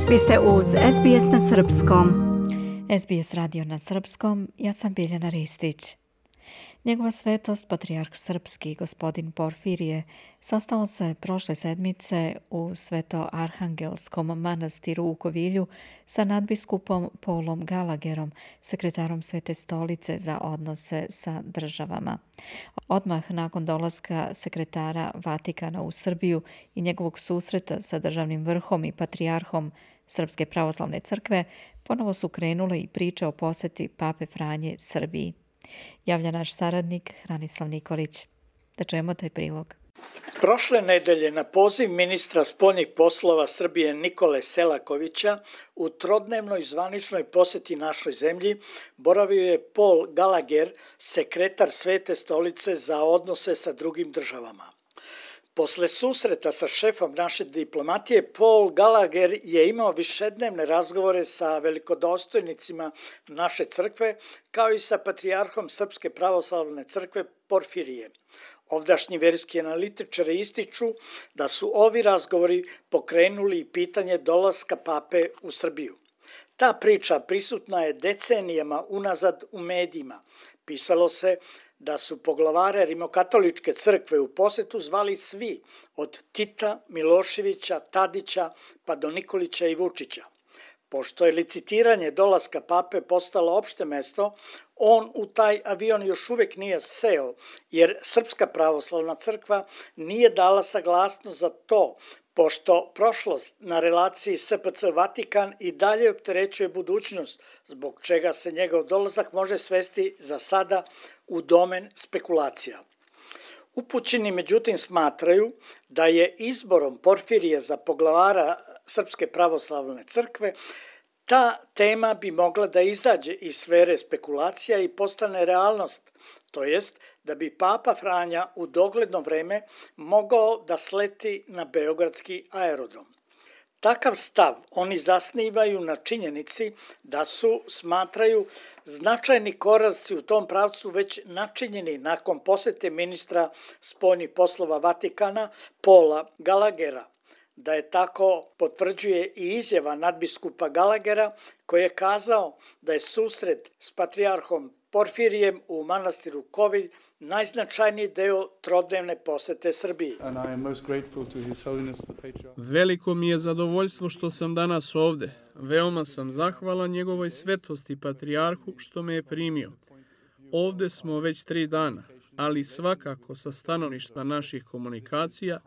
Vi ste uz SBS na Srpskom. SBS radio na Srpskom, ja sam Biljana Ristić. Njegova svetost, patrijarh srpski, gospodin Porfirije, sastao se prošle sedmice u Sveto-Arhangelskom manastiru u Kovilju sa nadbiskupom Paulom Gallagherom, sekretarom Svete stolice za odnose sa državama. Odmah nakon dolaska sekretara Vatikana u Srbiju i njegovog susreta sa državnim vrhom i patrijarhom Srpske pravoslavne crkve, ponovo su krenule i priče o poseti Pape Franje Srbiji. Javlja naš saradnik Hranislav Nikolić. Da čujemo taj prilog. Prošle nedelje na poziv ministra spoljnih poslova Srbije Nikole Selakovića u trodnevnoj zvaničnoj poseti našoj zemlji boravio je Paul Gallagher, sekretar Svete stolice za odnose sa drugim državama. Posle susreta sa šefom naše diplomatije, Paul Gallagher je imao višednevne razgovore sa velikodostojnicima naše crkve, kao i sa patrijarhom Srpske pravoslavne crkve Porfirije. Ovdašnji verski analitičari ističu da su ovi razgovori pokrenuli pitanje dolaska pape u Srbiju. Ta priča prisutna je decenijama unazad u medijima. Pisalo se da su poglavare Rimokatoličke crkve u posetu zvali svi, od Tita, Miloševića, Tadića pa do Nikolića i Vučića. Pošto je licitiranje dolaska pape postalo opšte mesto, on u taj avion još uvek nije seo, jer Srpska pravoslavna crkva nije dala saglasnost za to, pošto prošlost na relaciji SPC Vatikan i dalje opterećuje budućnost, zbog čega se njegov dolazak može svesti za sada u domen spekulacija. Upućeni međutim smatraju da je izborom Porfirije za poglavara Srpske pravoslavne crkve ta tema bi mogla da izađe iz sfere spekulacija i postane realnost, to jest da bi Papa Franja u dogledno vreme mogao da sleti na beogradski aerodrom. Takav stav oni zasnivaju na činjenici da su, smatraju, značajni koraci u tom pravcu već načinjeni nakon posete ministra spoljnih poslova Vatikana Paula Gallaghera. Da je tako potvrđuje i izjava nadbiskupa Gallaghera koji je kazao da je susret s patrijarhom Porfirijem u manastiru Kovilj najznačajniji deo trodnevne posete Srbiji. Veliko mi je zadovoljstvo što sam danas ovde. Veoma sam zahvalan njegovoj svetosti patrijarhu što me je primio. Ovde smo već 3 dana, ali svakako sa stanovišta naših komunikacija,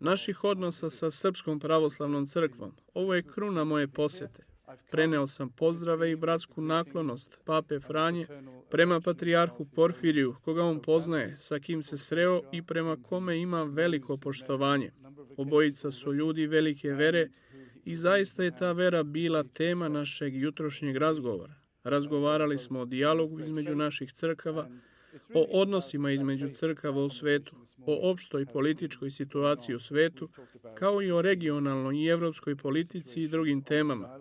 naših odnosa sa Srpskom pravoslavnom crkvom. Ovo je kruna moje posete. Preneo sam pozdrave i bratsku naklonost Pape Franje prema patrijarhu Porfiriju, koga on poznaje, sa kim se sreo i prema kome ima veliko poštovanje. Obojica su ljudi velike vere i zaista je ta vera bila tema našeg jutrošnjeg razgovora. Razgovarali smo o dijalogu između naših crkava, o odnosima između crkava u svetu, o opštoj političkoj situaciji u svetu, kao i o regionalnoj i evropskoj politici i drugim temama.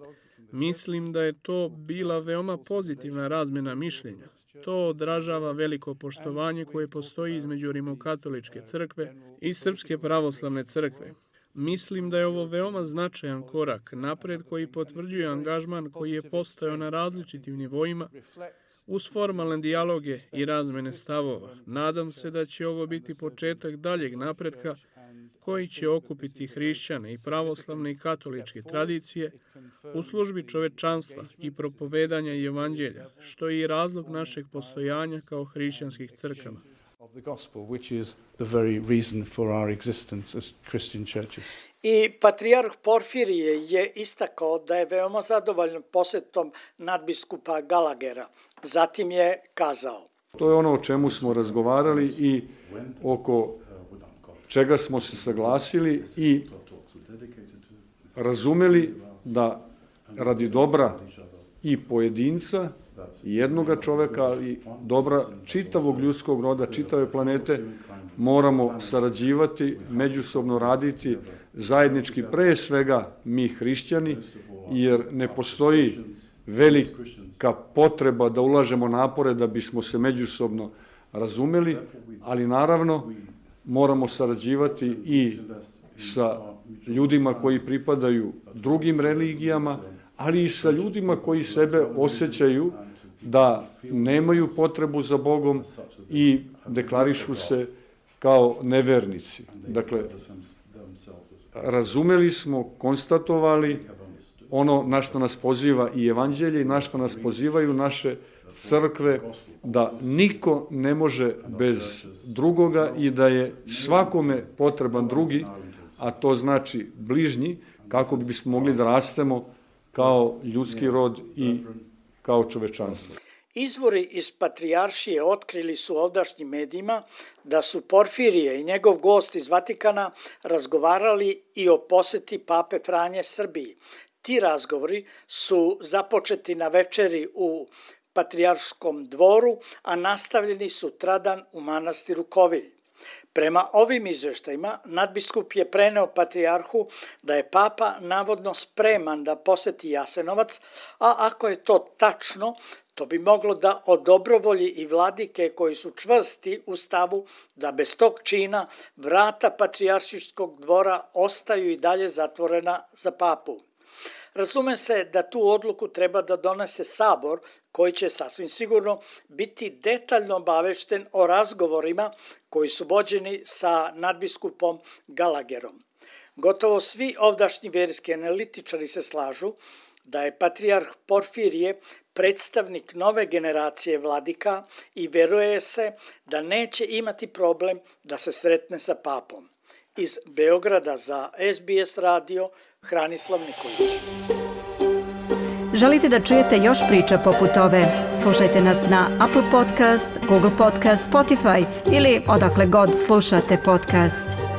Mislim da je to bila veoma pozitivna razmjena mišljenja. To odražava veliko poštovanje koje postoji između Rimokatoličke crkve i Srpske pravoslavne crkve. Mislim da je ovo veoma značajan korak napred koji potvrđuje angažman koji je postojao na različitim nivoima uz formalne dijaloge i razmene stavova. Nadam se da će ovo biti početak daljeg napretka koji će okupiti hrišćane i pravoslavne i katoličke tradicije u službi čovečanstva i propovedanja evanđelja, što je i razlog našeg postojanja kao hrišćanskih crkava. I patrijarh Porfirije je istakao da je veoma zadovoljan posetom nadbiskupa Gallaghera. Zatim je kazao: To je ono o čemu smo razgovarali i oko čega smo se saglasili i razumeli da radi dobra i pojedinca, i jednoga čoveka, ali dobra čitavog ljudskog roda, čitave planete, moramo sarađivati, međusobno raditi, zajednički pre svega mi hrišćani, jer ne postoji velika potreba da ulažemo napore da bismo se međusobno razumeli, ali naravno moramo sarađivati i sa ljudima koji pripadaju drugim religijama, ali i sa ljudima koji sebe osjećaju da nemaju potrebu za Bogom i deklarišu se kao nevernici. Dakle, razumeli smo, konstatovali ono na što nas poziva i evanđelje i na što nas pozivaju naše crkve, da niko ne može bez drugoga i da je svakome potreban drugi, a to znači bližnji, kako bismo mogli da rastemo kao ljudski rod i kao čovečanstvo. Izvori iz Patrijaršije otkrili su ovdašnjim medijima da su Porfirije i njegov gost iz Vatikana razgovarali i o poseti Pape Franje Srbiji. Ti razgovori su započeti na večeri u Patrijarškom dvoru, a nastavljeni sutradan u manastiru Kovilj. Prema ovim izveštajima, nadbiskup je preneo patrijarhu da je papa navodno spreman da poseti Jasenovac, a ako je to tačno, to bi moglo da odobrovolji i vladike koji su čvrsti u stavu da bez tog čina vrata Patrijaršijskog dvora ostaju i dalje zatvorena za papu. Razume se da tu odluku treba da donese sabor, koji će sasvim sigurno biti detaljno obavešten o razgovorima koji su vođeni sa nadbiskupom Gallagherom. Gotovo svi ovdašnji verski analitičari se slažu da je patrijarh Porfirije predstavnik nove generacije vladika i veruje se da neće imati problem da se sretne sa papom. Iz Beograda za SBS radio, Hranislav Nikolić. Želite da čujete još priča poput ove? Slušajte nas na Apple Podcast, Google Podcast, Spotify ili odakle god slušate podcast.